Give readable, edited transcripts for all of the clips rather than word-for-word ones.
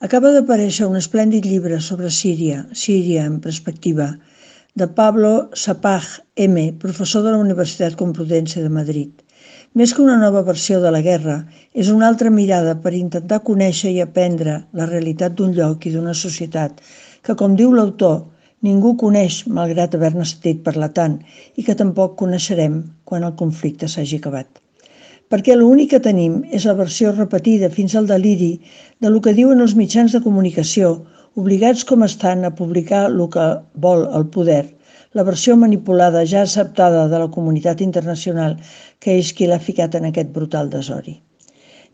Acaba d'aparèixer un esplèndid llibre sobre Síria, Síria en perspectiva, de Pablo Sapag M., professor de la Universitat Complutense de Madrid. Més que una nova versió de la guerra, és una altra mirada per intentar conèixer i aprendre la realitat d'un lloc i d'una societat que, com diu l'autor, ningú coneix malgrat haver-ne sentit parlar tant i que tampoc coneixerem quan el conflicte s'hagi acabat. Perquè l'únic que tenim és la versió repetida fins al deliri de lo que diuen els mitjans de comunicació, obligats com estan a publicar el que vol el poder, la versió manipulada ja acceptada de la comunitat internacional que és qui l'ha ficat en aquest brutal desori.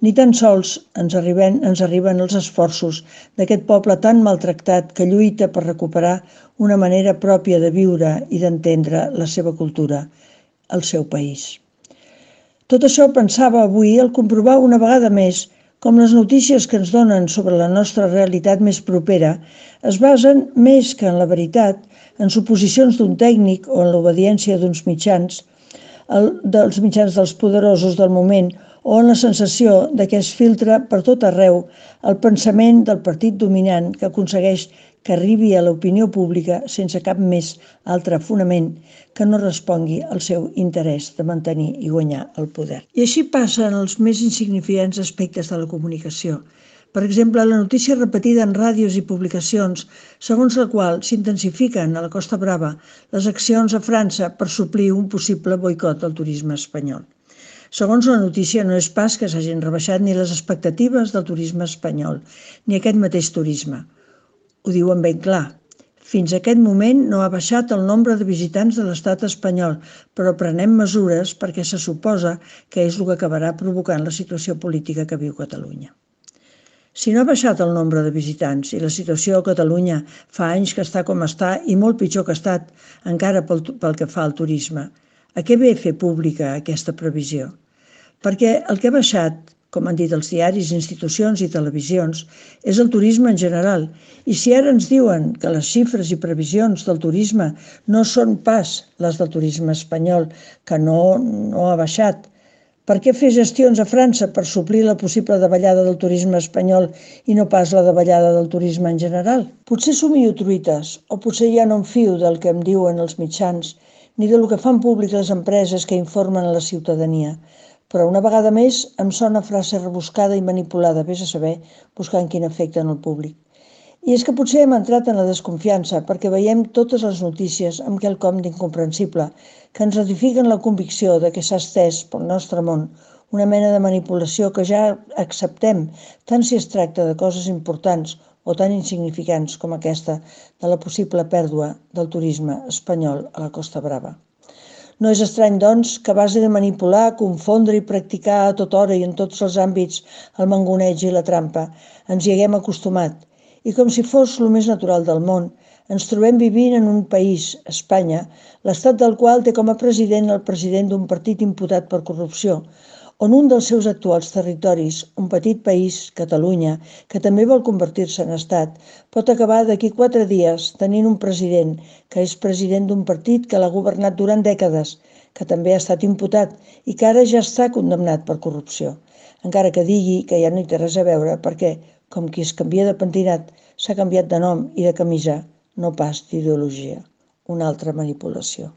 Ni tan sols ens arriben els esforços d'aquest poble tan maltractat que lluita per recuperar una manera pròpia de viure i d'entendre la seva cultura, el seu país. Tot això pensava avui al comprovar una vegada més com les notícies que ens donen sobre la nostra realitat més propera es basen més que en la veritat, en suposicions d'un tècnic o en l'obediència d'uns mitjans, dels mitjans dels poderosos del moment o en la sensació de que es filtra per tot arreu el pensament del partit dominant que aconsegueix que arribi a l'opinió pública sense cap més altre fonament que no respongui al seu interès de mantenir i guanyar el poder. I així passa en els més insignificants aspectes de la comunicació. Per exemple, la notícia repetida en ràdios i publicacions, segons la qual s'intensifiquen a la Costa Brava les accions a França per suplir un possible boicot del turisme espanyol. Segons la notícia, no és pas que s'hagin rebaixat ni les expectatives del turisme espanyol, ni aquest mateix turisme. Ho diuen ben clar. Fins a aquest moment no ha baixat el nombre de visitants de l'estat espanyol, però prenem mesures perquè se suposa que és el que acabarà provocant la situació política que viu Catalunya. Si no ha baixat el nombre de visitants i la situació a Catalunya fa anys que està com està i molt pitjor que ha estat encara pel que fa al turisme, a què ve fer pública aquesta previsió? Perquè el que ha baixat, com han dit els diaris, institucions i televisions, és el turisme en general. I si ara ens diuen que les xifres i previsions del turisme no són pas les del turisme espanyol, que no ha baixat, per què fer gestions a França per suplir la possible davallada del turisme espanyol i no pas la davallada del turisme en general? Potser somio truites, o potser ja no em fio del que em diuen els mitjans, ni del que fan públic les empreses que informen a la ciutadania. Però una vegada més em sona frase rebuscada i manipulada, vés a saber, buscant quin efecte en el públic. I és que potser hem entrat en la desconfiança perquè veiem totes les notícies amb quelcom d'incomprensible, que ens ratifiquen la convicció de que s'ha estès pel nostre món una mena de manipulació que ja acceptem, tant si es tracta de coses importants o tan insignificants com aquesta de la possible pèrdua del turisme espanyol a la Costa Brava. No és estrany, doncs, que a base de manipular, confondre i practicar a tota hora i en tots els àmbits el mangoneig i la trampa, ens hi haguem acostumat. I com si fos el més natural del món, ens trobem vivint en un país, Espanya, l'estat del qual té com a president el president d'un partit imputat per corrupció, on un dels seus actuals territoris, un petit país, Catalunya, que també vol convertir-se en estat, pot acabar d'aquí 4 dies tenint un president que és president d'un partit que l'ha governat durant dècades, que també ha estat imputat i que ara ja està condemnat per corrupció, encara que digui que ja no hi té res a veure perquè, com qui es canvia de pentinat, s'ha canviat de nom i de camisa, no pas d'ideologia. Una altra manipulació.